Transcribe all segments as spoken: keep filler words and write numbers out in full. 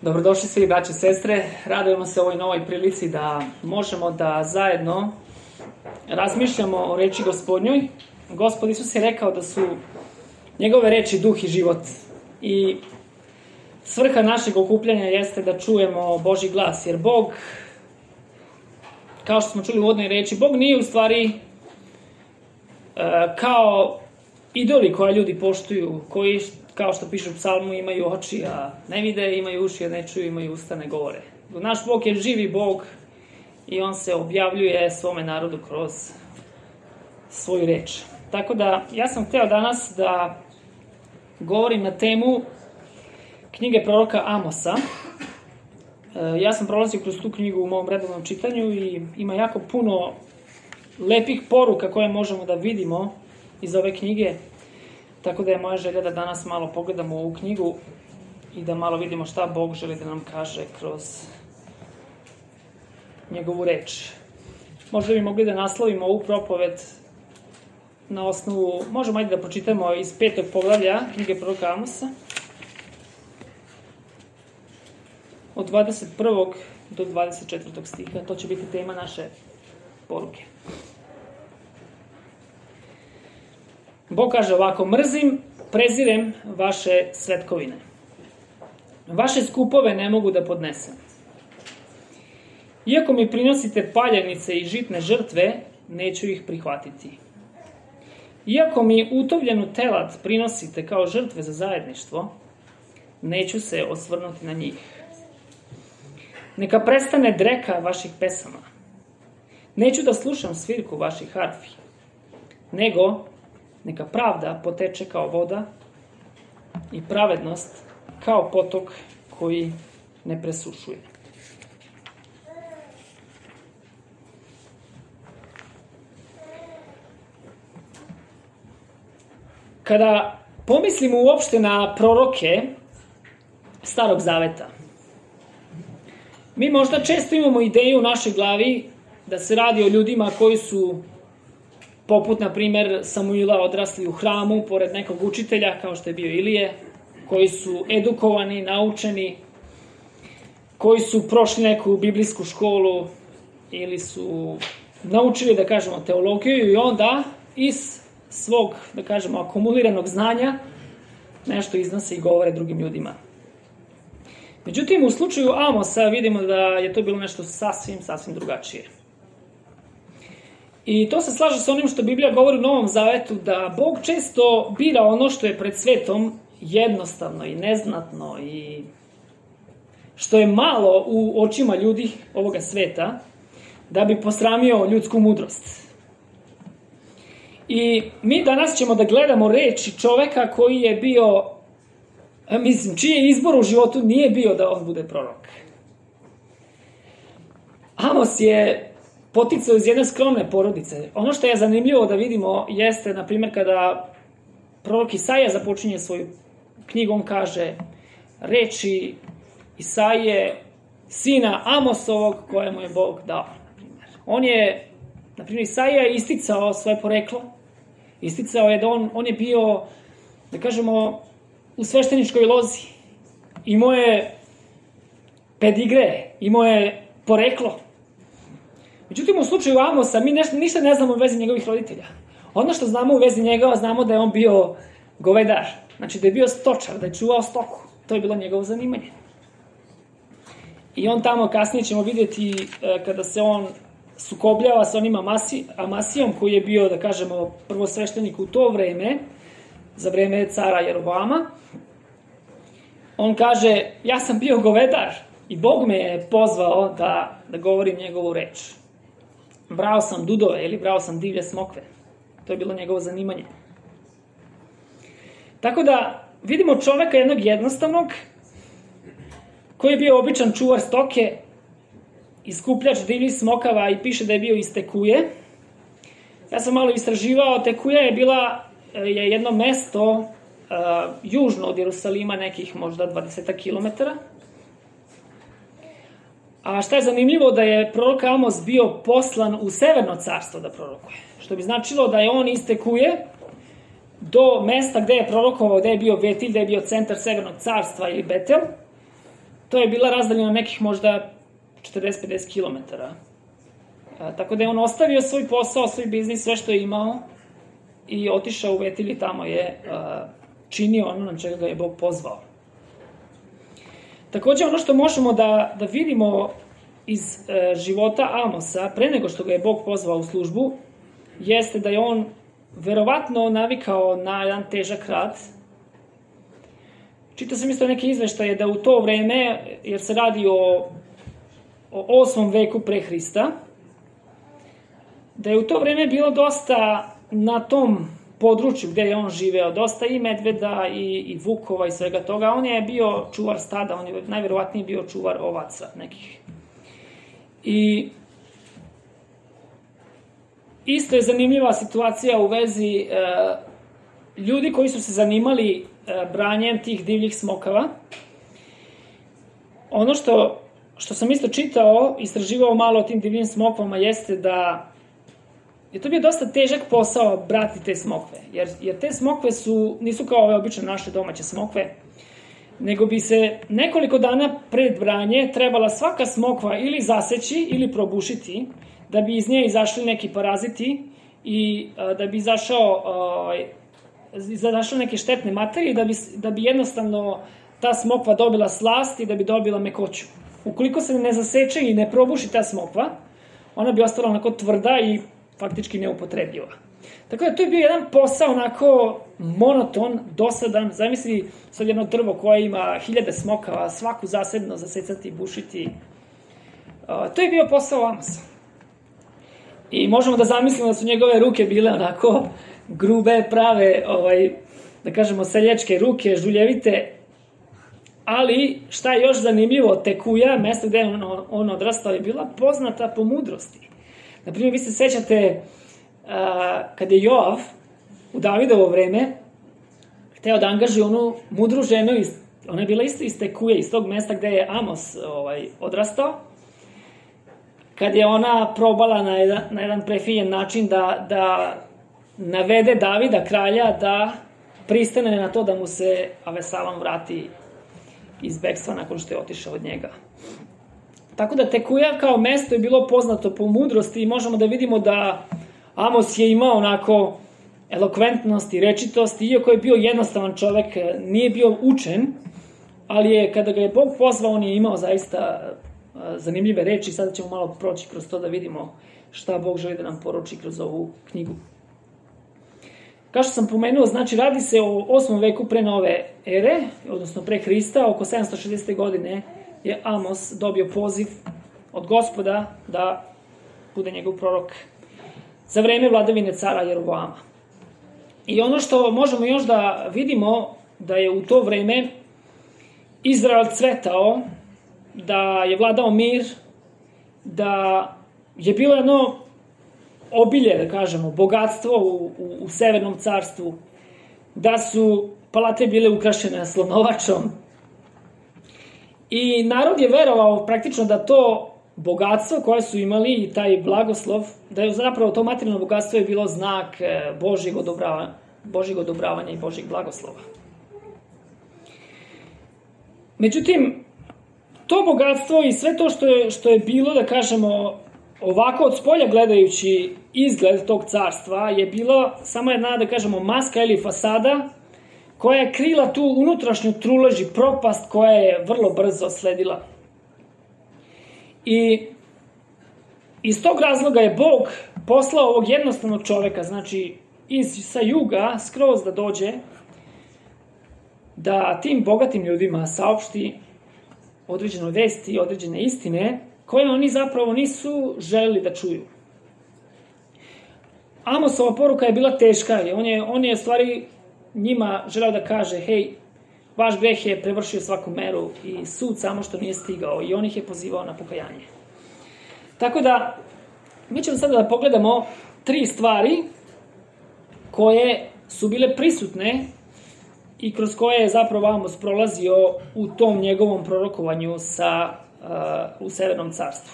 Dobrodošli svi braće i sestre, radujemo se ovoj novoj prilici da možemo da zajedno razmišljamo o reči Gospodnjoj. Gospod Isus je rekao da su njegove reči duh i život i svrha našeg okupljanja jeste da čujemo Božji glas, jer Bog, kao što smo čuli u uvodnoj reči, Bog nije u stvari kao idoli koje ljudi poštuju, koji, kao što piše u psalmu, imaju oči, a ne vide, imaju uši, a ne čuju, imaju usta, ne govore. Naš Bog je živi Bog i on se objavljuje svome narodu kroz svoju reč. Tako da, ja sam hteo danas da govorim na temu knjige proroka Amosa. Ja sam prolazio kroz tu knjigu u mom redovnom čitanju i ima jako puno lepih poruka koje možemo da vidimo iz ove knjige. Tako da je moja želja da danas malo pogledamo ovu knjigu i da malo vidimo šta Bog želi da nam kaže kroz njegovu reč. Možda bi mogli da naslovimo ovu propoved na osnovu, možemo ajde da pročitamo iz petog poglavlja knjige proroka Amosa, od dvadeset prvog do dvadeset četvrtog stiha. To će biti tema naše poruke. Bog kaže ovako: mrzim, prezirem vaše svetkovine. Vaše skupove ne mogu da podnesem. Iako mi prinosite paljenice i žitne žrtve, neću ih prihvatiti. Iako mi utovljenu telad prinosite kao žrtve za zajedništvo, neću se osvrnuti na njih. Neka prestane dreka vaših pesama. Neću da slušam svirku vaših harfi, nego neka pravda poteče kao voda i pravednost kao potok koji ne presušuje. Kada pomislimo uopšte na proroke Starog Zaveta, mi možda često imamo ideju u našoj glavi da se radi o ljudima koji su poput, na primer, Samuila odrasli u hramu, pored nekog učitelja, kao što je bio Ilije, koji su edukovani, naučeni, koji su prošli neku biblijsku školu ili su naučili, da kažemo, teologiju i onda iz svog, da kažemo, akumuliranog znanja nešto iznose i govore drugim ljudima. Međutim, u slučaju Amosa vidimo da je to bilo nešto sasvim, sasvim drugačije. I to se slaže sa onim što Biblija govori u Novom Zavetu, da Bog često bira ono što je pred svetom jednostavno i neznatno i što je malo u očima ljudi ovoga sveta, da bi posramio ljudsku mudrost. I mi danas ćemo da gledamo reči čoveka koji je bio, mislim, čiji izbor u životu nije bio da on bude prorok. Amos je poticao iz jedne skromne porodice. Ono što je zanimljivo da vidimo jeste, na primjer, kada prorok Isaija započinje svoju knjigu, on kaže reči Isaije, sina Amosovog, kojemu je Bog dao. On je, na primjer, Isaija je isticao svoje poreklo, isticao je da on, on je bio, da kažemo, u svešteničkoj lozi. Imao je pedigre, imao je poreklo. Međutim, u slučaju Amosa, mi nešto, ništa ne znamo u vezi njegovih roditelja. Ono što znamo u vezi njega, znamo da je on bio govedar. Znači da je bio stočar, da je čuvao stoku. To je bilo njegovo zanimanje. I on tamo, kasnije ćemo vidjeti, kada se on sukobljava sa onim Amasi, Amasijom, koji je bio, da kažemo, prvosveštenik u to vreme, za vreme cara Jeroboama, on kaže, ja sam bio govedar i Bog me je pozvao da, da govorim njegovu reč. Brao sam dudove ili brao sam divlje smokve. To je bilo njegovo zanimanje. Tako da vidimo čoveka jednog jednostavnog, koji je bio običan čuvar stoke, iskupljač divljih smokava i piše da je bio iz Tekuje. Ja sam malo istraživao, Tekuja je bila je jedno mesto uh, južno od Jerusalima, nekih možda dvadeset kilometara. A šta je zanimljivo, da je prorok Amos bio poslan u Severno carstvo da prorokuje. Što bi značilo da je on iz Tekuje do mesta gde je prorokovao, gde je bio Betilj, gde je bio centar Severnog carstva ili Betel, to je bila razdaljena nekih možda četrdeset do pedeset kilometara. Tako da je on ostavio svoj posao, svoj biznis, sve što je imao i otišao u Vetilj i tamo je činio ono na čega ga je Bog pozvao. Takođe, ono što možemo da, da vidimo iz e, života Amosa, pre nego što ga je Bog pozvao u službu, jeste da je on verovatno navikao na jedan težak rad. Čitao sam isto neke izveštaje da u to vreme, jer se radi o, o osmom veku pre Hrista, da je u to vreme bilo dosta na tom području gde je on živeo, dosta i medveda i, i vukova i svega toga. On je bio čuvar stada, on je najverovatnije bio čuvar ovaca nekih. I isto je zanimljiva situacija u vezi e, ljudi koji su se zanimali e, branjem tih divljih smokava. Ono što, što sam isto čitao, istraživao malo o tim divljim smokvama, jeste da je to bio dosta težak posao brati te smokve, jer, jer te smokve su, nisu kao ove obične naše domaće smokve, nego bi se nekoliko dana pred branje trebala svaka smokva ili zaseći ili probušiti, da bi iz nje izašli neki paraziti i a, da bi izašao, a, izašle neke štetne materije, da bi, da bi jednostavno ta smokva dobila slast i da bi dobila mekoću. Ukoliko se ne zaseče i ne probuši ta smokva, ona bi ostala onako tvrda i faktički neupotrebljiva. Tako da to je bio jedan posao onako monoton, dosadan. Zamisli sad jedno drvo koje ima hiljade smokava, svaku zasebno zasecati, bušiti. Uh, to je bio posao Amosa. I možemo da zamislimo da su njegove ruke bile onako grube, prave, ovaj, da kažemo seljačke ruke, žuljevite. Ali šta je još zanimljivo, Tekuja, mesto gde je on, on odrastao, je bila poznata po mudrosti. Naprimjer, vi se sećate uh, kada je Joav u Davidovo vreme hteo da angažuje onu mudru ženu, iz, ona je bila isto iz Tekuje, iz tog mesta gde je Amos ovaj, odrastao, kad je ona probala na jedan, na jedan prefinjen način da, da navede Davida, kralja, da pristane na to da mu se Avesalom vrati iz bekstva nakon što je otišao od njega. Tako da Tekuja kao mesto je bilo poznato po mudrosti i možemo da vidimo da Amos je imao onako elokventnost i rečitost, iako je bio jednostavan čovek, nije bio učen, ali je, kada ga je Bog pozvao, on je imao zaista zanimljive reči. Sada ćemo malo proći kroz to da vidimo šta Bog želi da nam poruči kroz ovu knjigu. Kao što sam pomenuo, znači radi se o osmom veku pre nove ere, odnosno pre Hrista, oko sedamsto šezdesete godine je Amos dobio poziv od Gospoda da bude njegov prorok za vreme vladavine cara Jeroboama. I ono što možemo još da vidimo, da je u to vreme Izrael cvetao, da je vladao mir, da je bilo jedno obilje, da kažemo, bogatstvo u, u, u Severnom carstvu, da su palate bile ukrašene slonovačom. I narod je verovao praktično da to bogatstvo koje su imali i taj blagoslov, da je zapravo to materijalno bogatstvo je bilo znak Božjeg odobravanja, Božjeg odobravanja i Božjeg blagoslova. Međutim, to bogatstvo i sve to što je, što je bilo, da kažemo, ovako od spolja gledajući izgled tog carstva, je bilo samo jedna, da kažemo, maska ili fasada koja je krila tu unutrašnju trulež i propast koja je vrlo brzo sledila. I iz tog razloga je Bog poslao ovog jednostavnog čoveka, znači iz, sa juga, skroz da dođe, da tim bogatim ljudima saopšti određene vesti i određene istine koje oni zapravo nisu želeli da čuju. Amosova poruka je bila teška, ali on je, on je stvari njima želeo da kaže, hej, vaš greh je prevršio svaku meru i sud samo što nije stigao, i on ih je pozivao na pokajanje. Tako da, mi ćemo sada da pogledamo tri stvari koje su bile prisutne i kroz koje je zapravo Amos prolazio u tom njegovom prorokovanju sa, uh, u Severnom carstvu.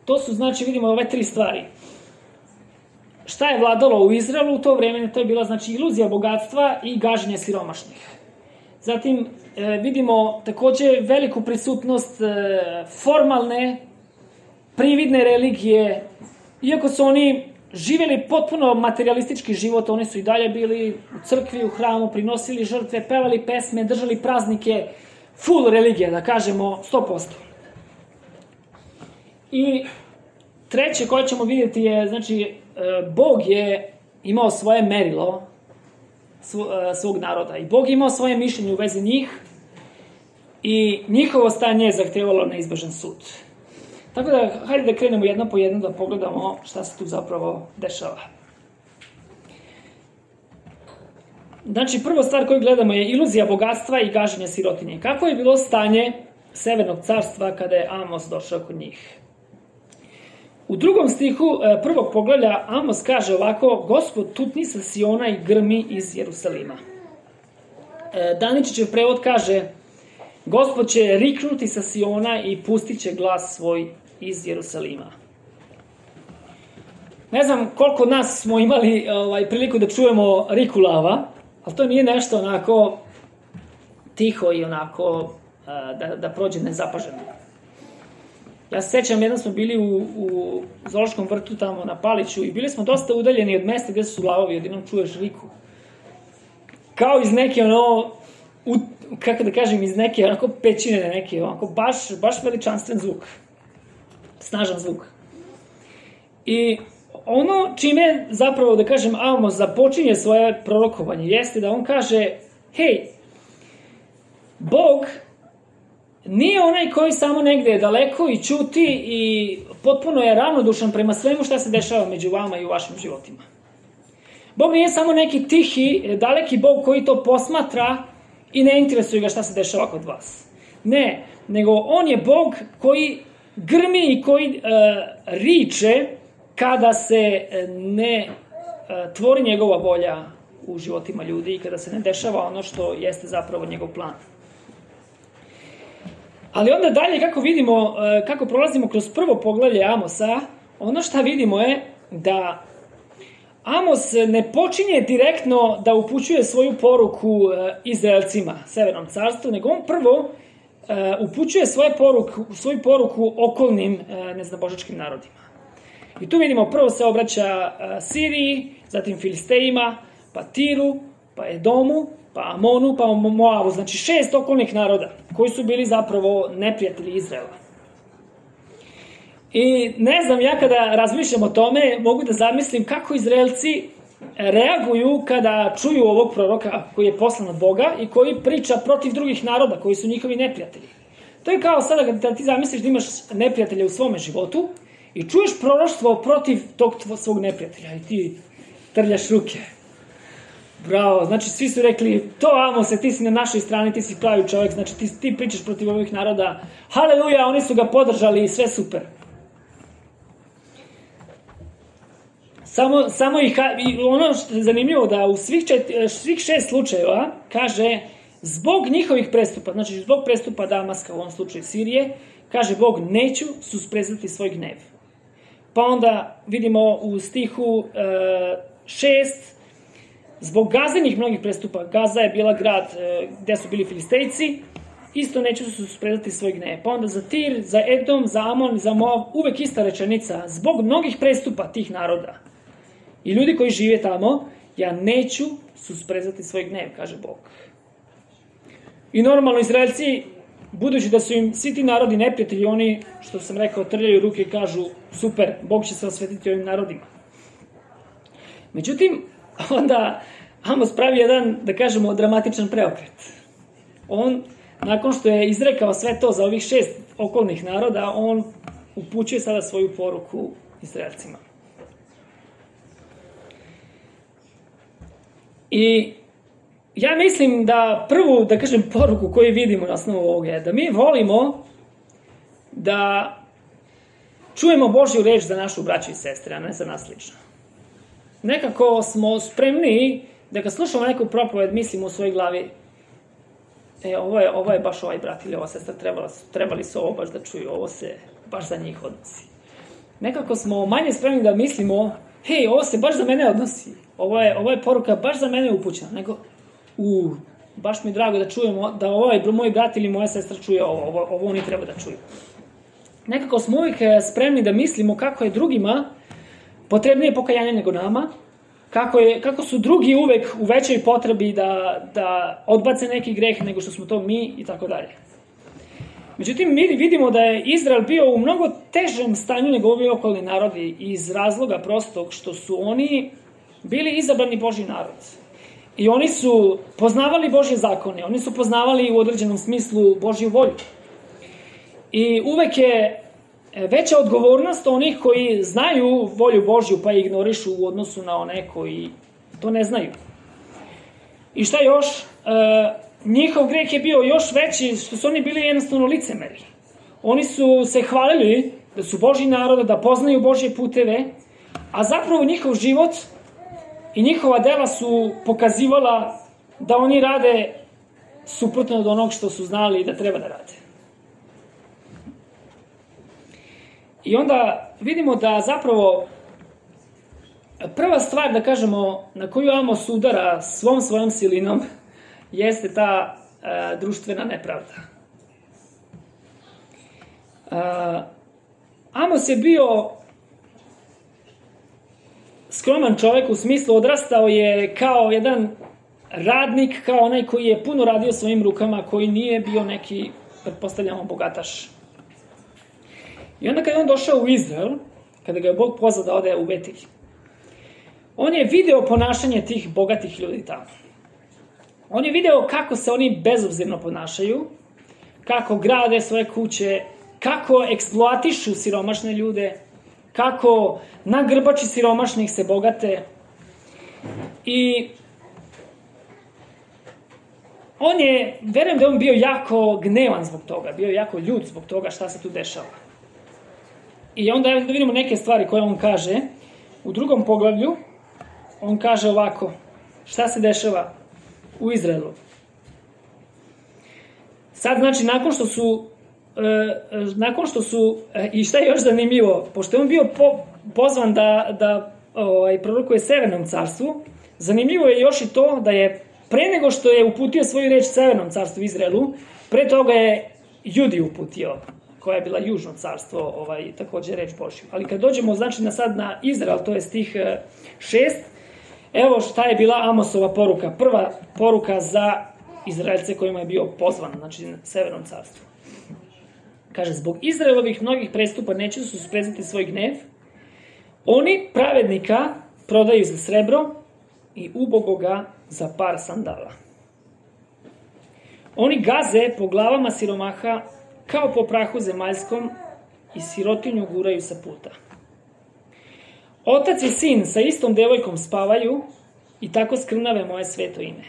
To su, znači, vidimo ove tri stvari. Šta je vladalo u Izraelu u to vreme? To je bila, znači, iluzija bogatstva i gaženje siromašnih. Zatim e, vidimo takođe veliku prisutnost e, formalne, prividne religije. Iako su oni živjeli potpuno materialistički život, oni su i dalje bili u crkvi, u hramu, prinosili žrtve, pevali pesme, držali praznike, full religija, da kažemo, sto posto. I treće koje ćemo vidjeti je, znači, Bog je imao svoje merilo svog naroda i Bog je imao svoje mišljenje u vezi njih i njihovo stanje je zahtevalo neizbežan sud. Tako da, hajde da krenemo jedno po jedno da pogledamo šta se tu zapravo dešava. Znači, prva stvar koju gledamo je iluzija bogatstva i gaženje sirotinje. Kako je bilo stanje Severnog carstva kada je Amos došao kod njih? U drugom stihu prvog poglavlja Amos kaže ovako: Gospod tutni sa Siona i grmi iz Jerusalima. Daničićev prevod kaže: Gospod će riknuti sa Siona i pustit će glas svoj iz Jerusalima. Ne znam koliko nas smo imali ovaj, priliku da čujemo riku lava, ali to nije nešto onako tiho i onako da, da prođe nezapaženo. Ja se sećam, jedan smo bili u, u zoološkom vrtu tamo na Paliću i bili smo dosta udaljeni od mesta gde su lavovi, odjednom čuješ riku. Kao iz neke ono, u, kako da kažem, iz neke onako pećine, neke onako baš, baš veličanstven zvuk. Snažan zvuk. I ono čime zapravo, da kažem, Amos započinje svoje prorokovanje jeste da on kaže: hej, Bog nije onaj koji samo negde je daleko i ćuti i potpuno je ravnodušan prema svemu šta se dešava među vama i u vašim životima. Bog nije samo neki tihi, daleki Bog koji to posmatra i ne interesuje ga šta se dešava kod vas. Ne, nego on je Bog koji grmi i koji uh, riče kada se ne uh, tvori njegova volja u životima ljudi i kada se ne dešava ono što jeste zapravo njegov plan. Ali onda dalje, kako vidimo, kako prolazimo kroz prvo poglavlje Amosa, ono što vidimo je da Amos ne počinje direktno da upućuje svoju poruku Izraelcima, Severnom carstvu, nego on prvo upućuje svoju poruku, svoju poruku okolnim neznabožačkim narodima. I tu vidimo, prvo se obraća Siriji, zatim Filistejima, pa Tiru, pa Edomu, pa Amonu, pa Moavu, znači šest okolnih naroda koji su bili zapravo neprijatelji Izraela. I ne znam, ja kada razmišljam o tome, mogu da zamislim kako Izraelci reaguju kada čuju ovog proroka koji je poslan od Boga i koji priča protiv drugih naroda koji su njihovi neprijatelji. To je kao sada kada ti zamisliš da imaš neprijatelja u svome životu i čuješ proroštvo protiv tog svog neprijatelja i ti trljaš ruke. Bravo, znači svi su rekli: to Amose, ti si na našoj strani, ti si pravi čovjek, znači ti, ti pričaš protiv ovih naroda, haleluja, oni su ga podržali i sve super. Samo, samo ih, i ono što je zanimljivo da u svih, čet, svih šest slučajeva kaže zbog njihovih prestupa, znači zbog prestupa Damaska, u ovom slučaju Sirije, kaže Bog: neću susprezati svoj gnev. Pa onda vidimo u stihu e, šest, zbog Gazinih mnogih prestupa, Gaza je bila grad e, gde su bili Filistejci, isto neću se suspredati svoj gnev. Pa onda za Tir, za Edom, za Amon, za Moav, uvek ista rečenica, zbog mnogih prestupa tih naroda i ljudi koji žive tamo, ja neću susprezati svoj gnev, kaže Bog. I normalno Izraelci, budući da su im svi ti narodi neprijatelji, oni, što sam rekao, trljaju ruke i kažu: super, Bog će se osvetiti ovim narodima. Međutim, onda Amos pravi jedan, da kažemo, dramatičan preokret. On, nakon što je izrekao sve to za ovih šest okolnih naroda, on upućuje sada svoju poruku Izraelcima. I ja mislim da prvu, da kažem, poruku koju vidimo na osnovu ovoga je da mi volimo da čujemo Božju reč za našu braću i sestre, a ne za nas lično. Nekako smo spremni da kad slušamo neku propoved, mislimo u svojoj glavi: e, ovo je, ovo je baš ovaj brat ili ova sestra, trebali, trebali su ovo baš da čuju, ovo se baš za njih odnosi. Nekako smo manje spremni da mislimo: hej, ovo se baš za mene odnosi, ovo je, ovo je poruka baš za mene upućena, nego u, baš mi je drago da čujemo, da ovaj moj brat ili moja sestra čuje ovo, ovo, ovo oni treba da čuju. Nekako smo uvijek spremni da mislimo kako je drugima potrebnije pokajanje nego nama, kako, je, kako su drugi uvek u većoj potrebi da, da odbace neki greh nego što smo to mi i tako dalje. Međutim, mi vidimo da je Izrael bio u mnogo težem stanju nego ovi okolni narodi iz razloga prostog što su oni bili izabrani Božji narod. I oni su poznavali Božje zakone, oni su poznavali u određenom smislu Božju volju. I uvek je veća odgovornost onih koji znaju volju Božju pa je ignorišu u odnosu na one koji to ne znaju. I šta još? E, njihov greh je bio još veći što su oni bili jednostavno licemeri. Oni su se hvalili da su Božji narod, da poznaju Božje puteve, a zapravo njihov život i njihova dela su pokazivala da oni rade suprotno od onog što su znali da treba da rade. I onda vidimo da zapravo prva stvar, da kažemo, na koju Amos udara svom svojom silinom jeste ta e, društvena nepravda. E, Amos je bio skroman čovek, u smislu odrastao je kao jedan radnik, kao onaj koji je puno radio svojim rukama, koji nije bio neki, pretpostavljamo, bogataš. I onda kada je on došao u Izrael, kada ga je Bog pozvao da ode u Betilj, on je video ponašanje tih bogatih ljudi tamo. On je video kako se oni bezobzirno ponašaju, kako grade svoje kuće, kako eksploatišu siromašne ljude, kako na grbači siromašnih se bogate. I on je, verujem da je on bio jako gnevan zbog toga, bio jako ljut zbog toga šta se tu dešava. I onda da vidimo neke stvari koje on kaže. U drugom poglavlju on kaže ovako, šta se dešava u Izraelu. Sad, znači, nakon što su e, nakon što su e, i šta je još zanimljivo, pošto je on bio po, pozvan da, da ovaj, prorokuje Severnom carstvu, zanimljivo je još i to da je pre nego što je uputio svoju reč Severnom carstvu Izraelu, pre toga je Judi uputio, koja je bila južno carstvo, ovaj, takođe reč Božju. Ali kad dođemo, znači, na sad na Izrael, to je stih šest, evo šta je bila Amosova poruka. Prva poruka za Izraelce kojima je bio pozvan, znači na Severnom carstvu. Kaže, zbog Izraelovih mnogih prestupa neće su susprezati svoj gnev, oni pravednika prodaju za srebro i ubogoga za par sandala. Oni gaze po glavama siromaha kao po prahu zemaljskom i sirotinju guraju sa puta. Otac i sin sa istom devojkom spavaju i tako skrnave moje sveto ime.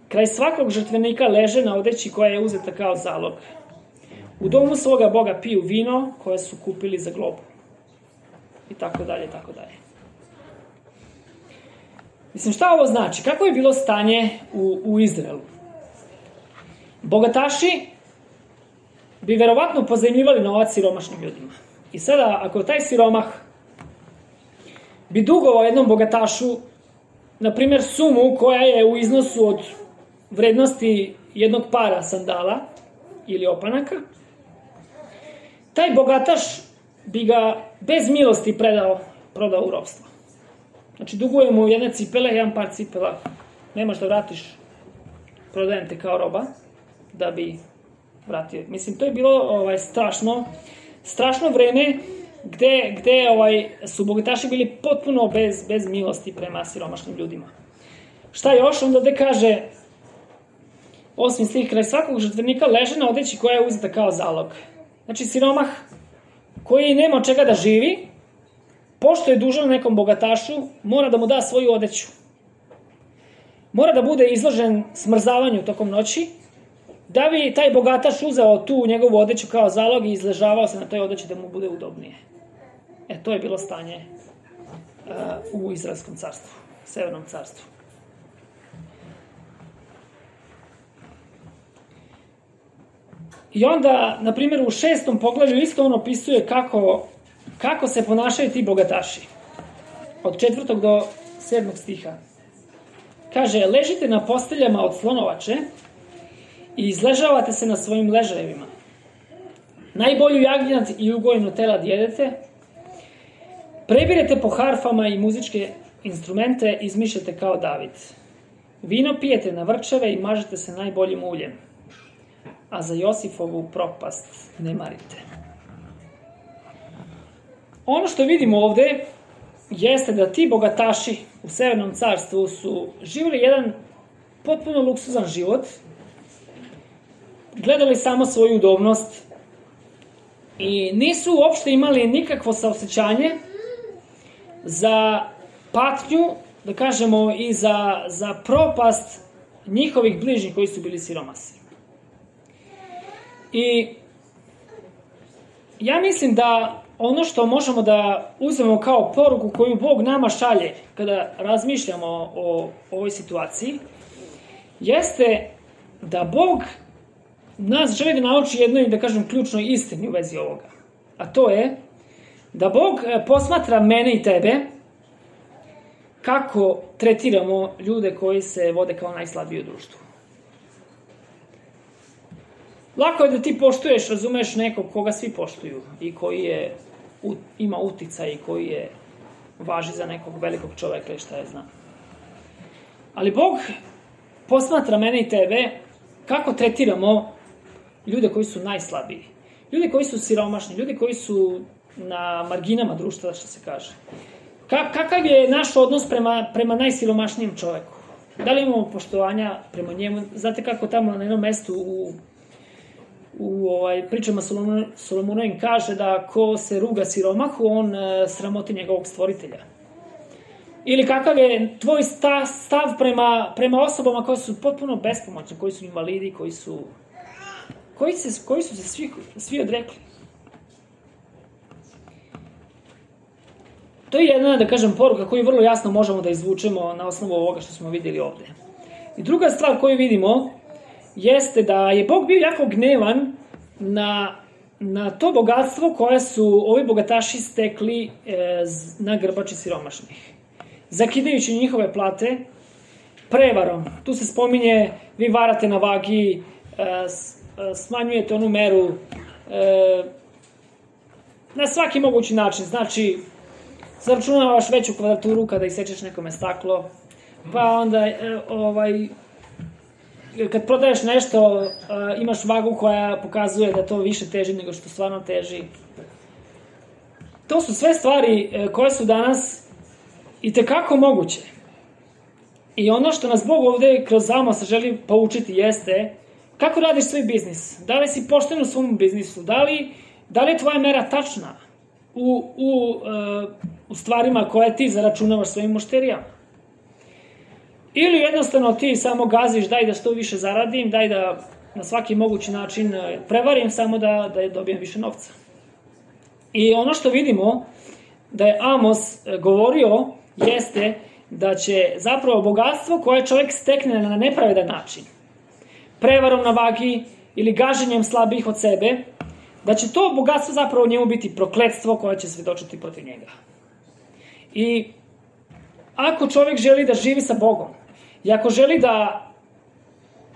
Kraj svakog žrtvenika leže na odeći koja je uzeta kao zalog. U domu svoga Boga piju vino koje su kupili za globu. I tako dalje, tako dalje. Mislim, šta ovo znači? Kako je bilo stanje u, u Izraelu? Bogataši bi verovatno pozajmljivali novac siromašnim ljudima. I sada, ako taj siromah bi dugovao jednom bogatašu, na primjer, sumu koja je u iznosu od vrednosti jednog para sandala ili opanaka, taj bogataš bi ga bez milosti predao, prodao u ropstvo. Znači, duguje mu jedne cipele, jedan par cipela, nemaš da vratiš, prodajem te kao roba, da bi vratio. Mislim, to je bilo ovaj, strašno, strašno vreme gde, gde ovaj, su bogataši bili potpuno bez, bez milosti prema siromašnim ljudima. Šta još? Onda ovde kaže, osmi stih, kraj svakog žrtvenika leže na odeći koja je uzeta kao zalog. Znači, siromah koji nema od čega da živi, pošto je dužan nekom bogatašu, mora da mu da svoju odeću. Mora da bude izložen smrzavanju tokom noći, da bi taj bogataš uzeo tu njegovu odeću kao zalog i izležavao se na toj odeći da mu bude udobnije. E, to je bilo stanje uh, u Izraelskom carstvu, Severnom carstvu. I onda, na primjer, u šestom poglavlju isto on opisuje kako, kako se ponašaju ti bogataši. Od četvrtog do sedmog stiha. kaže, ležite na posteljama od slonovače i izležavate se na svojim ležajevima. Najbolju jagnjad i ugojeno telad jedete, prebirete po harfama i muzičke instrumente, izmišljate kao David. Vino pijete na vrčeve i mažete se najboljim uljem, a za Josifovu propast ne marite. Ono što vidimo ovde jeste da ti bogataši u Severnom carstvu su živjeli jedan potpuno luksuzan život, gledali samo svoju udobnost i nisu uopšte imali nikakvo saosećanje za patnju, da kažemo, i za, za propast njihovih bližnjih koji su bili siromasi. I ja mislim da ono što možemo da uzmemo kao poruku koju Bog nama šalje kada razmišljamo o ovoj situaciji, jeste da Bog nas želi da nauči jednoj, da kažem, ključnoj istini u vezi ovoga. A to je da Bog posmatra mene i tebe kako tretiramo ljude koji se vode kao najslabiji u društvu. Lako je da ti poštuješ, razumeš, nekog koga svi poštuju i koji je, ima uticaj i koji je važi za nekog velikog čoveka i šta je znam. Ali Bog posmatra mene i tebe kako tretiramo ljude koji su najslabiji. Ljude koji su siromašni, ljude koji su na marginama društva, što se kaže. Ka, kakav je naš odnos prema, prema najsiromašnijem čoveku? Da li imamo poštovanja prema njemu? Znate kako tamo na jednom mestu u, u ovaj, pričama Solomonovim kaže da ko se ruga siromahu, on e, sramoti njegovog stvoritelja. Ili kakav je tvoj stav, stav prema, prema osobama koje su potpuno bespomoćne, koji su invalidi, koji su, koji se, koji su se svi, svi odrekli. To je jedna, da kažem, poruka koju vrlo jasno možemo da izvučemo na osnovu ovoga što smo vidjeli ovde. I druga stvar koju vidimo jeste da je Bog bio jako gnevan na, na to bogatstvo koje su ovi bogataši stekli e, na grbači siromašnih. Zakidajući njihove plate prevarom. Tu se spominje, vi varate na vagi, e, smanjujete onu meru e, na svaki mogući način. Znači, zaračunavaš veću kvadraturu kada isečeš nekome staklo, pa onda e, ovaj, kad prodaješ nešto e, imaš vagu koja pokazuje da to više teži nego što stvarno teži. To su sve stvari e, koje su danas itekako moguće. I ono što nas Bog ovde kroz Amosa želi poučiti jeste kako radiš svoj biznis. Da li si pošten u svom biznisu? Da li, da li je tvoja mera tačna u, u, uh, u stvarima koje ti zaračunavaš svojim mušterijama? Ili jednostavno ti samo gaziš, daj da što više zaradim, daj da na svaki mogući način prevarim samo da, da dobijem više novca. I ono što vidimo da je Amos govorio jeste da će zapravo bogatstvo koje čovjek stekne na nepravedan način, prevarom na vagi ili gaženjem slabijih od sebe, da će to bogatstvo zapravo njemu biti prokletstvo koje će svedočiti protiv njega. I ako čovjek želi da živi sa Bogom i ako želi da,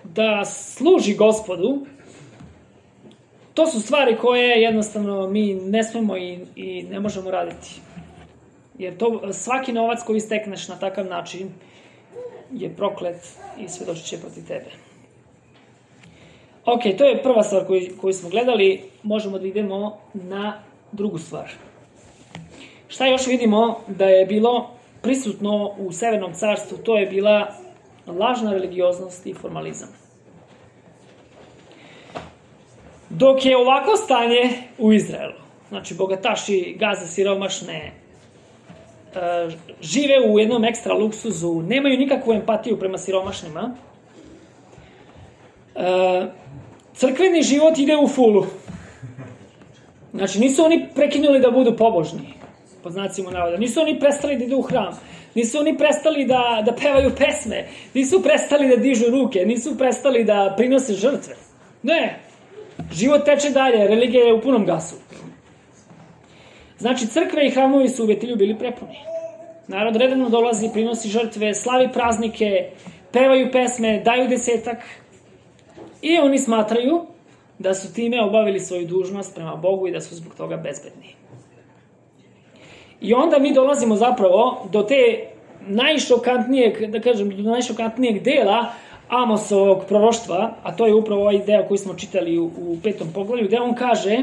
da služi Gospodu, to su stvari koje jednostavno mi ne smemo i, i ne možemo raditi. Jer to, svaki novac koji stekneš na takav način je proklet i svedočit će protiv tebe. Ok, to je prva stvar koju, koju smo gledali. Možemo da idemo na drugu stvar. Šta još vidimo da je bilo prisutno u Severnom carstvu? To je bila lažna religioznost i formalizam. Dok je ovako stanje u Izraelu, znači bogataši gaze siromašne, žive u jednom ekstra luksuzu, nemaju nikakvu empatiju prema siromašnima, crkveni život ide u fulu. Znači, nisu oni prekinuli da budu pobožni, pod znacima navoda. Nisu oni prestali da idu u hram. Nisu oni prestali da, da pevaju pesme. Nisu prestali da dižu ruke. Nisu prestali da prinose žrtve. Ne. Život teče dalje. Religija je u punom gasu. Znači, crkve i hramovi su u Betilju bili prepuni. Narod redovno dolazi, prinosi žrtve, slavi praznike, pevaju pesme, daju desetak i oni smatraju da su time obavili svoju dužnost prema Bogu i da su zbog toga bezbedni. I onda mi dolazimo zapravo do te najšokantnijeg, da kažem, do najšokantnijeg dela Amosovog proroštva, a to je upravo ovaj deo koji smo čitali u, u petom poglavlju, gde on kaže,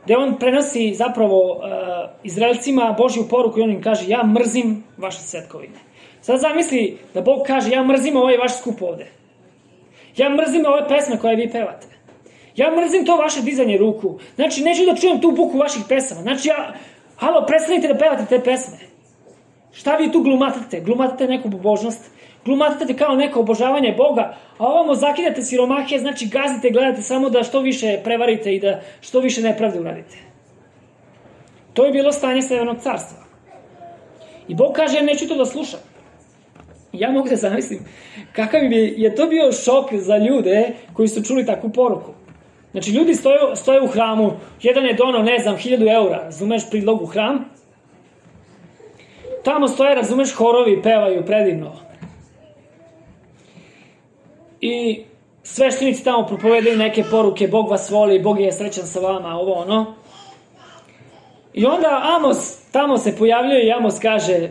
gde on prenosi zapravo uh, Izraelcima Božju poruku i on im kaže, ja mrzim vaše svetkovine. Sad zamisli da Bog kaže, ja mrzim ovaj vaš skup ovde. Ja mrzim ove pesme koje vi pevate. Ja mrzim to vaše dizanje ruku. Znači, neću da čujem tu buku vaših pesama. Znači, ja, halo, prestanite da pevate te pesme. Šta vi tu glumatate? Glumatate neku pobožnost, glumatate kao neko obožavanje Boga, a ovamo zakidate siromahe, znači gazite, gledate samo da što više prevarite i da što više nepravde uradite. To je bilo stanje Severnog carstva. I Bog kaže, ja neću to da slušam. Ja mogu da zamislim kakav bi je to bio šok za ljude koji su čuli takvu poruku. Znači, ljudi stoje, stoje u hramu, jedan je donao, ne znam, hiljadu eura, razumeš, prilog u hram, tamo stoje, razumeš, horovi, pevaju predivno. I sveštenici tamo propovedaju neke poruke, Bog vas voli, Bog je srećan sa vama, ovo ono. I onda Amos tamo se pojavljuje i Amos kaže,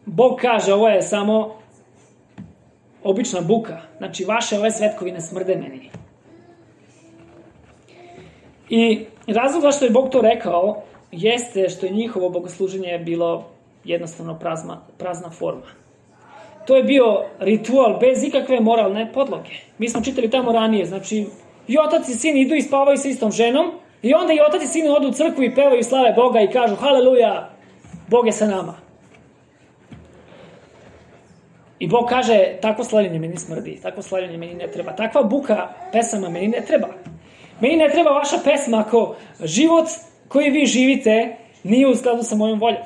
Bog kaže, ovo je samo obična buka. Znači, vaše ove svetkovine smrde meni. I razlog zašto je Bog to rekao jeste što je njihovo bogosluženje bilo jednostavno prazna, prazna forma. To je bio ritual bez ikakve moralne podloge. Mi smo čitali tamo ranije, znači i otac i sin idu i spavaju sa istom ženom i onda i otac i sin odu u crkvu i pevaju slave Boga i kažu haleluja, Bog je sa nama. I Bog kaže, takvo slavljenje meni smrdi, takvo slavljenje meni ne treba, takva buka pesama meni ne treba. Meni ne treba vaša pesma ako život koji vi živite nije u skladu sa mojom voljom.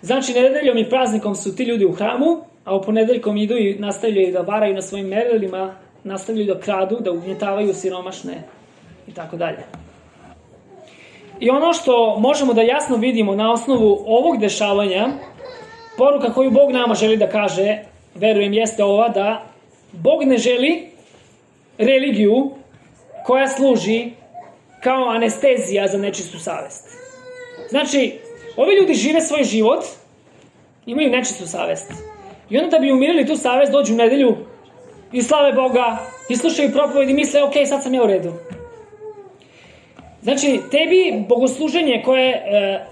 Znači, nedeljom i praznikom su ti ljudi u hramu, a u ponedeljkom idu i nastavljaju da varaju na svojim merilima, nastavljaju da kradu, da ugnjetavaju siromašne i tako dalje. I ono što možemo da jasno vidimo na osnovu ovog dešavanja, poruka koju Bog nama želi da kaže, verujem, jeste ova da Bog ne želi religiju koja služi kao anestezija za nečistu savest. Znači, ovi ljudi žive svoj život, imaju nečistu savest. I onda da bi umirili tu savest, dođu u nedelju i slave Boga, i slušaju propoved i misle, ok, sad sam ja u redu. Znači, tebi bogosluženje koje,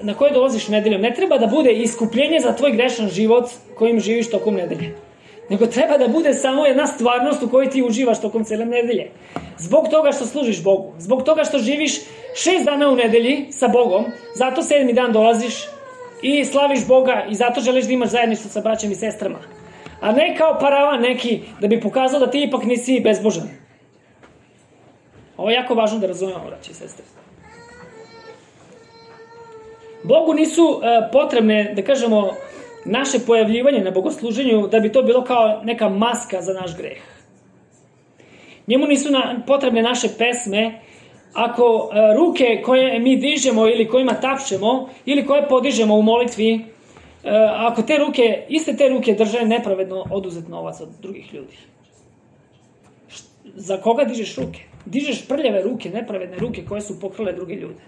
na koje dolaziš nedeljom ne treba da bude iskupljenje za tvoj grešan život kojim živiš tokom nedelje. Nego treba da bude samo jedna stvarnost u kojoj ti uživaš tokom cele nedelje. Zbog toga što služiš Bogu. Zbog toga što živiš šest dana u nedelji sa Bogom, zato sedmi dan dolaziš i slaviš Boga i zato želiš da imaš zajedništvo sa braćom i sestrama. A ne kao paravan neki da bi pokazao da ti ipak nisi bezbožan. Ovo je jako važno da razumemo, braći i sestre. Bogu nisu uh, potrebne, da kažemo, naše pojavljivanje na bogosluženju da bi to bilo kao neka maska za naš greh. Njemu nisu na, potrebne naše pesme ako uh, ruke koje mi dižemo ili kojima tapšemo ili koje podižemo u molitvi, uh, ako te ruke, iste te ruke drže nepravedno oduzet novac od drugih ljudi. Št, za koga dižeš ruke? Dižeš prljave ruke, nepravedne ruke koje su pokrale druge ljude.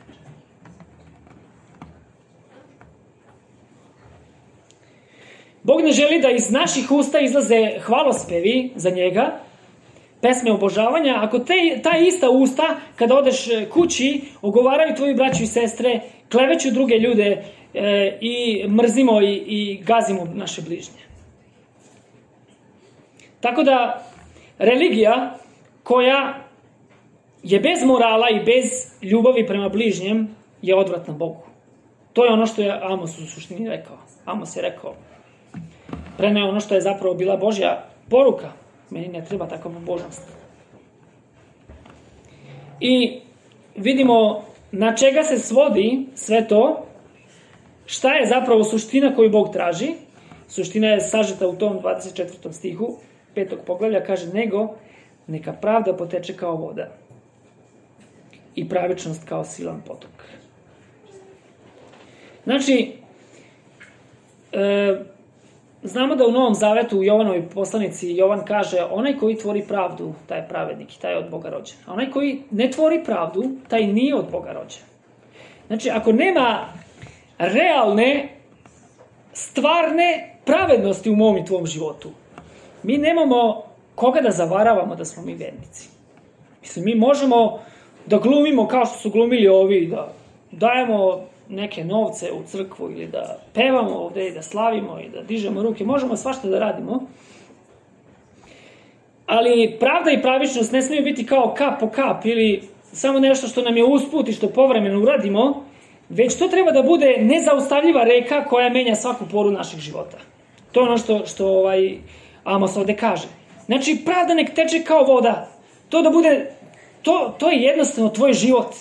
Bog ne želi da iz naših usta izlaze hvalospevi za njega, pesme obožavanja, ako te, ta ista usta, kada odeš kući, ogovaraju tvoju braću i sestre, kleveću druge ljude e, i mrzimo i, i gazimo naše bližnje. Tako da, religija koja je bez morala i bez ljubavi prema bližnjem je odvratna Bogu. To je ono što je Amos u suštini rekao. Amos je rekao, preneo ono što je zapravo bila Božja poruka. Meni ne treba takva pobožnost. I vidimo na čega se svodi sve to, šta je zapravo suština koju Bog traži. Suština je sažeta u tom dvadeset četvrtom stihu petog poglavlja, kaže, nego neka pravda poteče kao voda. i pravičnost kao silan potok. Znači, e, znamo da u Novom Zavetu u Jovanovoj poslanici Jovan kaže onaj koji tvori pravdu, taj je pravednik i taj je od Boga rođen. A onaj koji ne tvori pravdu, taj nije od Boga rođen. Znači, ako nema realne, stvarne pravednosti u mom i tvom životu, mi nemamo koga da zavaravamo da smo mi vernici. Mislim, mi možemo da glumimo kao što su glumili ovi, da dajemo neke novce u crkvu ili da pevamo ovde i da slavimo i da dižemo ruke. Možemo svašta da radimo. Ali pravda i pravičnost ne smiju biti kao kap po kap ili samo nešto što nam je usput i što povremeno uradimo, već to treba da bude nezaustavljiva reka koja menja svaku poru naših života. To je ono što, što ovaj Amos ovde kaže. Znači, pravda nek teče kao voda. To da bude, to, to je jednostavno tvoj život.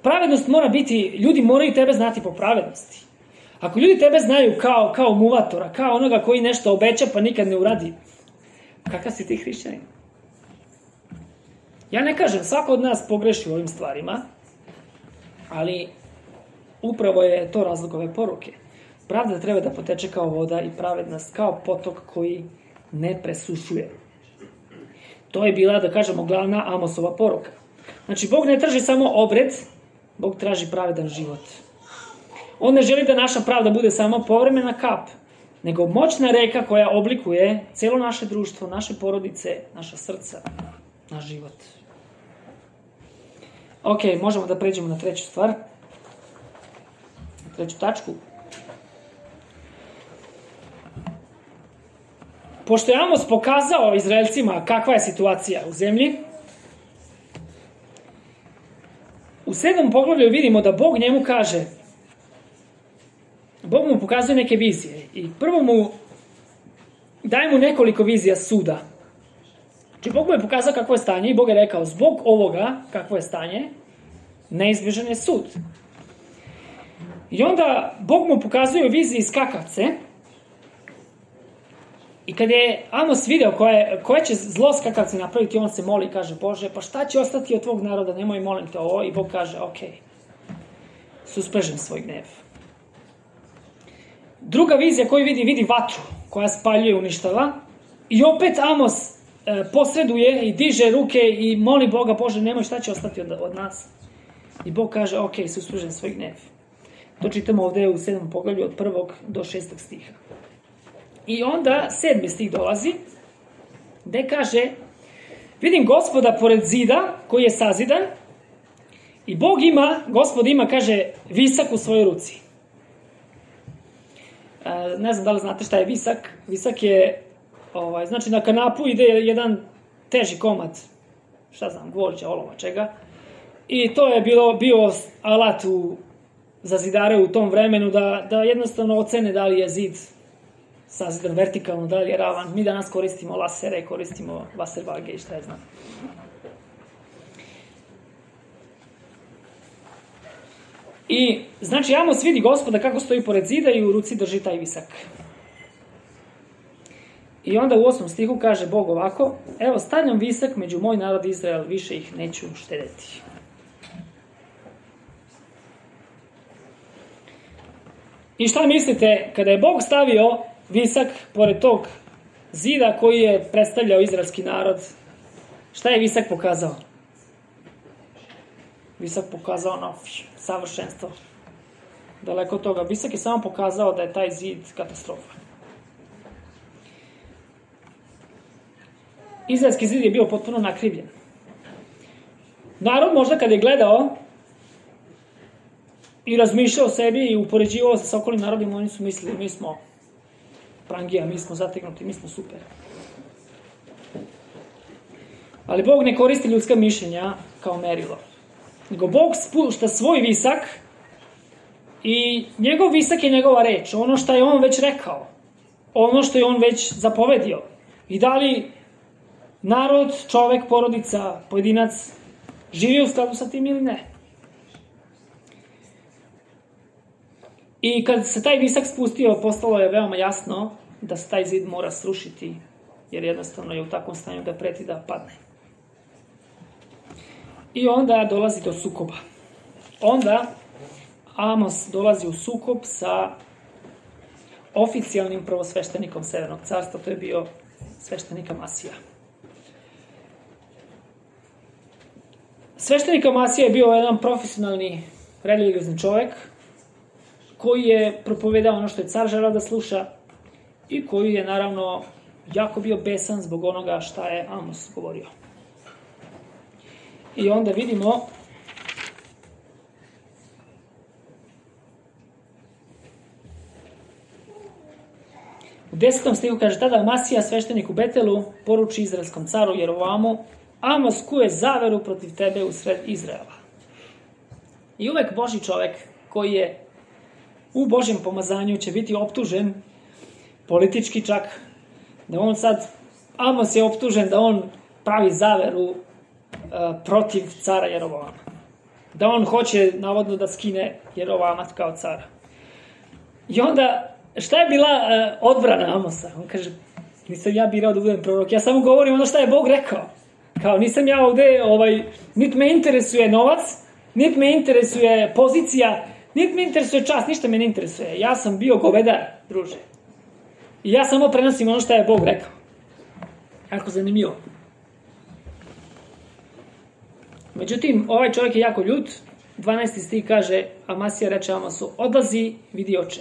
Pravednost mora biti, ljudi moraju tebe znati po pravednosti. Ako ljudi tebe znaju kao, kao muvatora, kao onoga koji nešto obeća pa nikad ne uradi, kakav si ti hrišćanin? Ja ne kažem, svako od nas pogreši u ovim stvarima, ali upravo je to razlog ove poruke. Pravda treba da poteče kao voda i pravednost kao potok koji ne presušuje. To je bila, da kažemo, glavna Amosova poruka. Znači, Bog ne traži samo obred, Bog traži pravedan život. On ne želi da naša pravda bude samo povremena kap, nego moćna reka koja oblikuje celo naše društvo, naše porodice, naša srca, naš život. Ok, možemo da pređemo na treću stvar, na treću tačku. Pošto je Amos pokazao Izraelcima kakva je situacija u zemlji, u sedmom poglavlju vidimo da Bog njemu kaže, Bog mu pokazuje neke vizije i prvo mu daje mu nekoliko vizija suda. Znači, Bog mu je pokazao kakvo je stanje i Bog je rekao, zbog ovoga, kakvo je stanje, neizbježan je sud. I onda Bog mu pokazuje viziji skakavce i kad je Amos video koje, koje će zlo skakavci napraviti, on se moli i kaže, Bože, pa šta će ostati od tvog naroda, nemoj molim te ovo. I Bog kaže, ok, susprežem svoj gnev. Druga vizija koju vidi, vidi vatru koja spaljuje i uništava. I opet Amos e, posreduje i diže ruke i moli Boga, Bože, nemoj, šta će ostati od, od nas. I Bog kaže, ok, susprežem svoj gnev. To čitamo ovde u sedmom poglavlju od prvog do šestog stiha. I onda sedmi stih dolazi, gde kaže, vidim Gospoda pored zida koji je sazidan i Bog ima, Gospod ima, kaže, visak u svojoj ruci. E, ne znam da li znate šta je visak. Visak je, ovaj, znači na kanapu ide jedan teži komad, šta znam, gvožđa, olova, čega. I to je bilo, bio alat u, za zidare u tom vremenu da, da jednostavno ocene da li je zid sazidan vertikalno, da li je ravan. Mi danas koristimo lasere, koristimo vaservage i šta je znam. I, znači, Amos vidi Gospoda kako stoji pored zida i u ruci drži taj visak. I onda u osmom stihu kaže Bog ovako, evo, stavljam visak među moj narod Izrael, više ih neću štedeti. I šta mislite, kada je Bog stavio visak pored tog zida koji je predstavljao izraelski narod, šta je visak pokazao? Visak pokazao ono, savršenstvo. Daleko od toga. Visak je samo pokazao da je taj zid katastrofa. Izraelski zid je bio potpuno nakrivljen. Narod možda kad je gledao i razmišljao o sebi i upoređivao se sa okolnim narodima, oni su mislili, mi smo prangija, mi smo zategnuti, mi smo super. Ali Bog ne koristi ljudska mišljenja kao merilo. Nego Bog spušta svoj visak i njegov visak je njegova reč, ono što je on već rekao, ono što je on već zapovedio. I da li narod, čovek, porodica, pojedinac živi u skladu sa tim ili ne. I kad se taj visak spustio, postalo je veoma jasno da se taj zid mora srušiti, jer jednostavno je u takvom stanju da preti da padne. I onda dolazi do sukoba. Onda Amos dolazi u sukob sa oficijalnim prvosveštenikom Severnog carstva, to je bio sveštenik Amasija. Sveštenik Amasija je bio jedan profesionalni religiozni čovek koji je propovedao ono što je car želeo da sluša i koji je naravno jako bio besan zbog onoga šta je Amos govorio. I onda vidimo u desetom stihu kaže: tada Amasija, sveštenik u Betelu, poruči izraelskom caru Jerovamu: Amos kuje zaveru protiv tebe u sred Izraela. I uvek Božji čovek koji je u Božjem pomazanju će biti optužen, politički čak, da on sad, Amos je optužen da on pravi zaveru uh, protiv cara Jerovama. Da on hoće navodno da skine Jerovama kao cara. I onda, šta je bila uh, odbrana Amosa? On kaže: nisam ja birao da budem prorok, ja samo govorim ono šta je Bog rekao. Kao, nisam ja ovde, ovaj, niti me interesuje novac, niti me interesuje pozicija, niti me interesuje čast, ništa me ne interesuje. Ja sam bio govedar, druže. I ja samo prenosim ono šta je Bog rekao. Jako zanimljivo. Međutim, ovaj čovjek je jako ljut. dvanaesti stih kaže, Amasija reče Amosu: odlazi, vidi oče.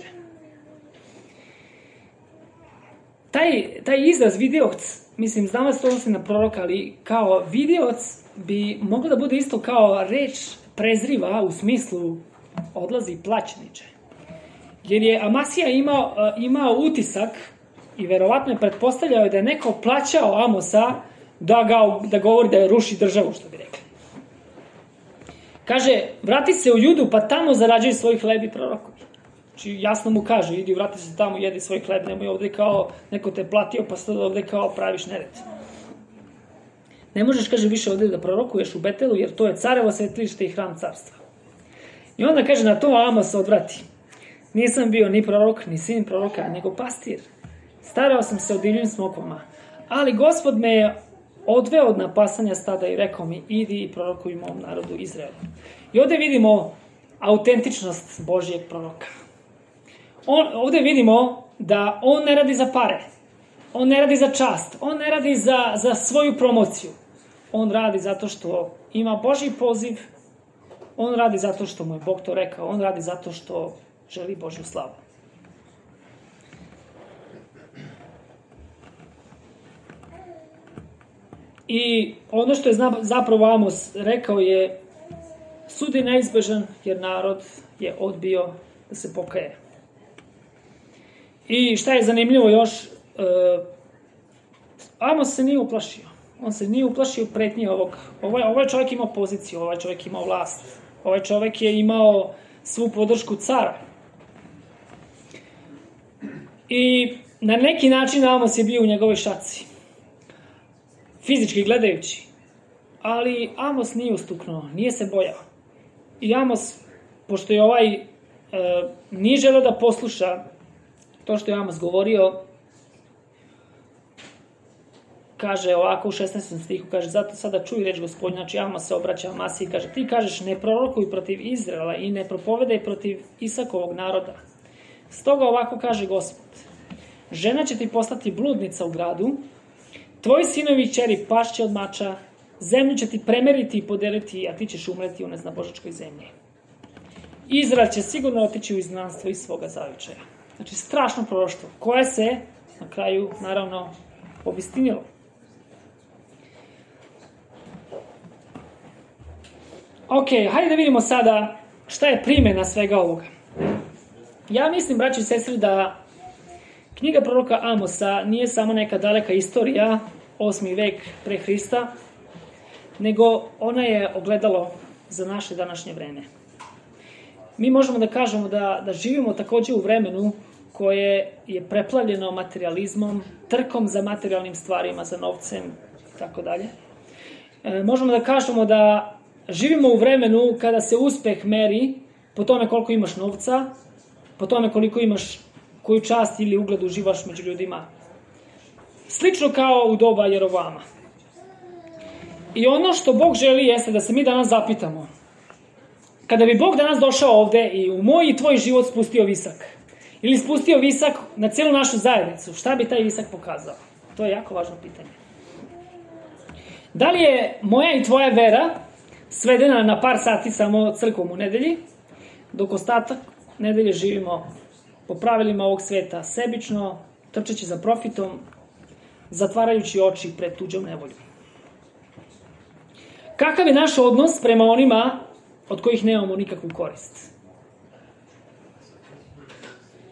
Taj, taj izraz vidioc, mislim, znam da se to odnosi na proroka, ali kao vidioc bi moglo da bude isto kao reč prezriva u smislu odlazi plaćeniče. Jer je Amasija imao, imao utisak i verovatno je pretpostavljao da je neko plaćao Amosa da, ga, da govori da je ruši državu, što bi rekli. Kaže, vrati se u Judu pa tamo zarađuj svoj hleb i prorokuj. Znači jasno mu kaže, idi vrati se tamo, jedi svoj hleb, nemoj ovde kao neko te platio pa sad ovde kao praviš nered. Ne možeš, kaže, više ovde da prorokuješ u Betelu jer to je carevo svetilište i hram carstva. I onda kaže, na to Amos odvrati: nisam bio ni prorok, ni sin proroka, nego pastir. Starao sam se o divljim smokvama, ali Gospod me je odveo od napasanja stada i rekao mi: idi i prorokuj mom narodu Izraelu. I ovde vidimo autentičnost Božijeg proroka. On, ovde vidimo da on ne radi za pare, on ne radi za čast, on ne radi za, za svoju promociju. On radi zato što ima Božji poziv, on radi zato što mu je Bog to rekao, on radi zato što želi Božju slavu. I ono što je zapravo Amos rekao je: sud je neizbežan jer narod je odbio da se pokaje. I šta je zanimljivo još, uh, Amos se nije uplašio. On se nije uplašio pretnje ovog. Ovaj, ovaj čovjek imao poziciju, ovaj čovjek imao vlast. Ovaj čovjek je imao svu podršku cara. I na neki način Amos je bio u njegovoj šaci. Fizički gledajući. Ali Amos nije ustuknuo, nije se bojao. I Amos, pošto je ovaj e, nije želeo da posluša to što je Amos govorio, kaže ovako u šesnaestom stihu, kaže: zato sada čuj reč Gospodnja. Znači Amos se obraća Amasiji i kaže: ti kažeš, ne prorokuj protiv Izraela i ne propovedaj protiv Isakovog naroda. Stoga ovako kaže Gospod: žena će ti postati bludnica u gradu, tvoji sinovi i ćeri pašće od mača, zemlju će ti premeriti i podeliti, a ti ćeš umreti u neznabožačkoj zemlji. Izrael će sigurno otići u izgnanstvo iz svoga zavičaja. Znači, strašno proroštvo, koje se na kraju, naravno, obistinilo. Ok, hajde da vidimo sada šta je primjena svega ovoga. Ja mislim, braći i sestri, da knjiga proroka Amosa nije samo neka daleka istorija, osmi vek pre Hrista, nego ona je ogledalo za naše današnje vreme. Mi možemo da kažemo da, da živimo takođe u vremenu koje je preplavljeno materializmom, trkom za materijalnim stvarima, za novcem i tako dalje. E, možemo da kažemo da živimo u vremenu kada se uspeh meri po tome koliko imaš novca, po tome koliko imaš, koju čast ili ugled uživaš među ljudima. Slično kao u doba Jerovama. I ono što Bog želi jeste da se mi danas zapitamo. Kada bi Bog danas došao ovde i u moj i tvoj život spustio visak, ili spustio visak na cijelu našu zajednicu, šta bi taj visak pokazao? To je jako važno pitanje. Da li je moja i tvoja vera svedena na par sati samo crkvom u nedelji, dok ostatak nedelje živimo po pravilima ovog sveta, sebično, trčeći za profitom, zatvarajući oči pred tuđom nevoljom? Kakav je naš odnos prema onima od kojih nemamo nikakvu korist?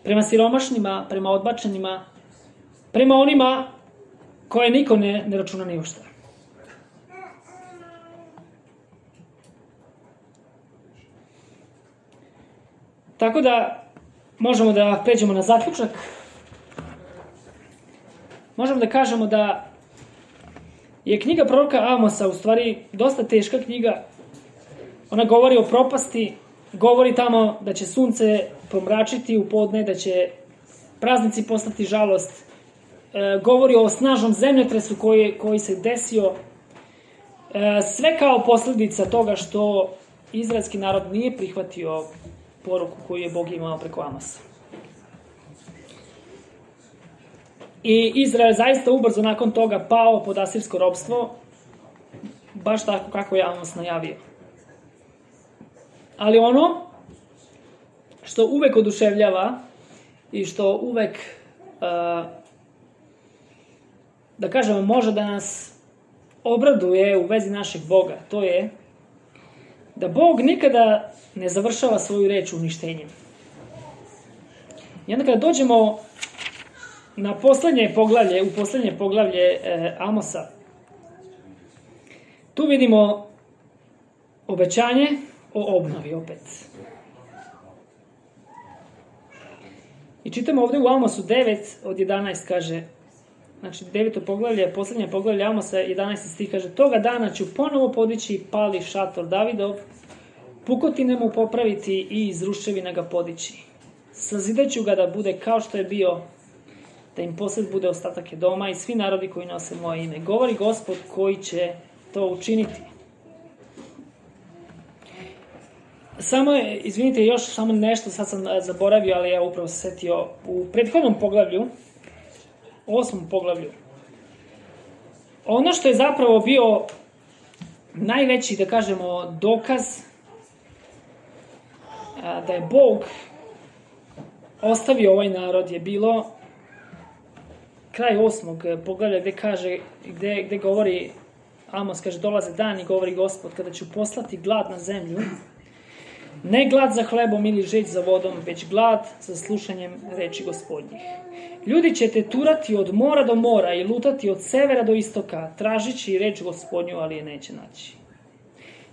Prema siromašnima, prema odbačenima, prema onima koje niko ne, ne računa ni u šta. Tako da možemo da pređemo na zaključak. Možemo da kažemo da je knjiga proroka Amosa u stvari dosta teška knjiga. Ona govori o propasti, govori tamo da će sunce pomračiti u podne, da će praznici postati žalost, e, govori o snažnom zemljotresu koji, koji se desio, e, sve kao posljedica toga što izraelski narod nije prihvatio poruku koju je Bog imao preko Amosa. I Izrael zaista ubrzo nakon toga pao pod asirsko ropstvo, baš tako kako je Amos najavio. Ali ono što uvek oduševljava i što uvek, uh, da kažemo, može da nas obraduje u vezi našeg Boga, to je da Bog nikada ne završava svoju reč uništenjem. I onda kada dođemo na poslednje poglavlje, u poslednje poglavlje e, Amosa, tu vidimo obećanje o obnovi opet. I čitamo ovde u Amosu devet od jedanaest kaže, znači deveto poglavlje, poslednje poglavlje Amosa, jedanaesti stih kaže: toga dana ću ponovo podići pali šator Davidov, pukotine mu popraviti i iz ruševina ga podići. Sazidaću ga da bude kao što je bio, da im posled bude ostatak doma i svi narodi koji nose moje ime. Govori Gospod koji će to učiniti. Samo je, izvinite, još samo nešto, sad sam zaboravio, ali ja upravo se setio, u prethodnom poglavlju, osmom poglavlju, ono što je zapravo bio najveći, da kažemo, dokaz da je Bog ostavio ovaj narod je bilo kraj osmog poglavlja gde kaže, gde, gde govori Amos, kaže: dolaze dani, govori Gospod, kada ću poslati glad na zemlju, ne glad za hlebom ili žeć za vodom, već glad za slušanjem reči Gospodnjih. Ljudi će te turati od mora do mora i lutati od severa do istoka, tražići reč Gospodnju, ali je neće naći.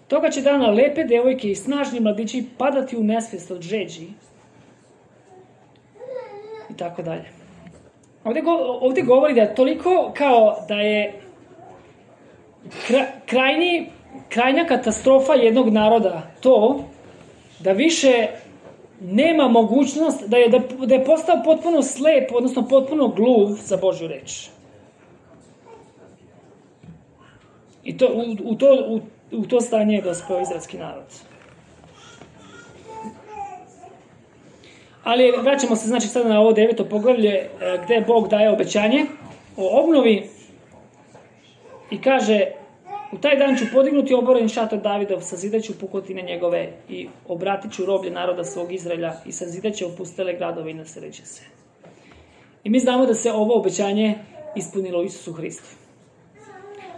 Toga će dana lepe devojke i snažni mladići padati u nesvest od žeđi. I tako dalje. Ovde, go, ovde govori da je toliko kao da je krajnji, krajnja katastrofa jednog naroda to da više nema mogućnost, da je, da, da je postao potpuno slep, odnosno potpuno gluv za Božju reč. I to, u, u, to, u, u to stanje je dospeo izraelski narod. Ali vraćamo se znači sada na ovo deveto poglavlje gde Bog daje obećanje o obnovi i kaže: u taj dan ću podignuti oboren šator Davidov, sazidaću pukotine njegove i obratit ću roblje naroda svog Izraelja i sazidaće opustele gradove i naseleće se. I mi znamo da se ovo obećanje ispunilo u Isusu Hristu.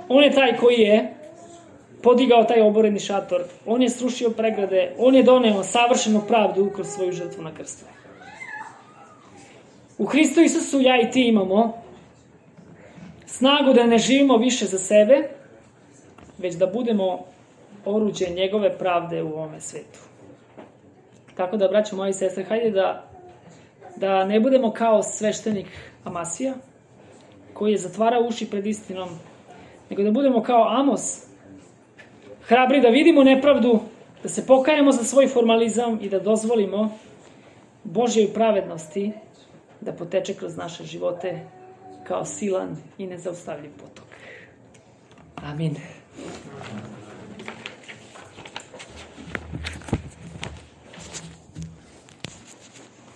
On je taj koji je podigao taj oboreni šator, on je srušio pregrade, on je doneo savršenu pravdu kroz svoju žrtvu na krstu. U Hristu Isusu ja i ti imamo snagu da ne živimo više za sebe, već da budemo oruđe njegove pravde u ovome svetu. Tako da, braćo moji i sestre, hajde da, da ne budemo kao sveštenik Amasija, koji je zatvarao uši pred istinom, nego da budemo kao Amos, hrabri da vidimo nepravdu, da se pokajemo za svoj formalizam i da dozvolimo Božjoj pravednosti da poteče kroz naše živote kao silan i nezaustavljiv potok. Amin.